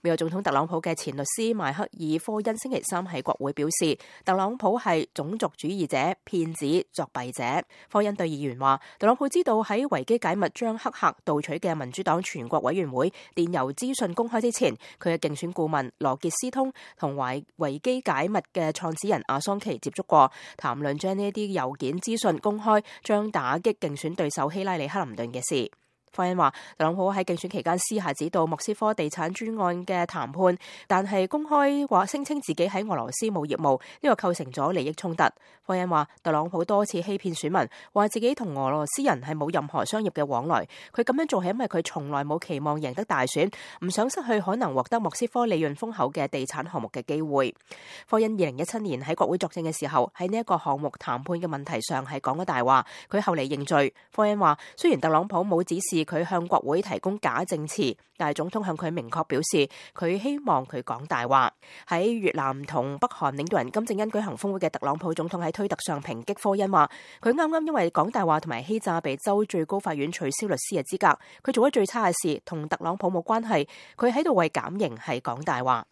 美國總統特朗普嘅前律師邁克爾科恩星期三喺國會表示，特朗普係種族主義者、騙子、作弊者。科恩對議員話，特朗普知道喺維基解密將黑客盜取嘅民主黨全國委員會電郵資訊公開之前，佢嘅競選顧問羅傑斯通同維基解密嘅創始人阿桑奇接觸過，談論將呢啲郵件資訊公開將打擊競選對手希拉里克林頓嘅事。科恩話，特朗普喺競選期間私下指導莫斯科地產專案嘅談判，但係公開話聲稱自己喺俄羅斯冇業務，呢個構成咗利益衝突。科恩話，特朗普多次欺騙選民，話自己同俄羅斯人係冇任何商業嘅往來。佢咁樣做係因為佢從來冇期望贏得大選，唔想失去可能獲得莫斯科利潤豐厚嘅地產項目嘅機會。科恩2017年喺國會作證嘅時候，喺呢一個項目談判嘅問題上係講咗大話，佢後嚟認罪。科恩話，雖然特朗普冇指示佢向國會提供假證詞，但係總統向佢明確表示，佢希望佢講大話。喺越南同北韓領導人金正恩舉行峰會嘅特朗普總統喺推特上抨擊科恩話，佢啱啱因為講大話同埋欺詐被州最高法院取消律師嘅資格，佢做咗最差嘅事，同特朗普冇關係，佢喺度為減刑係講大話。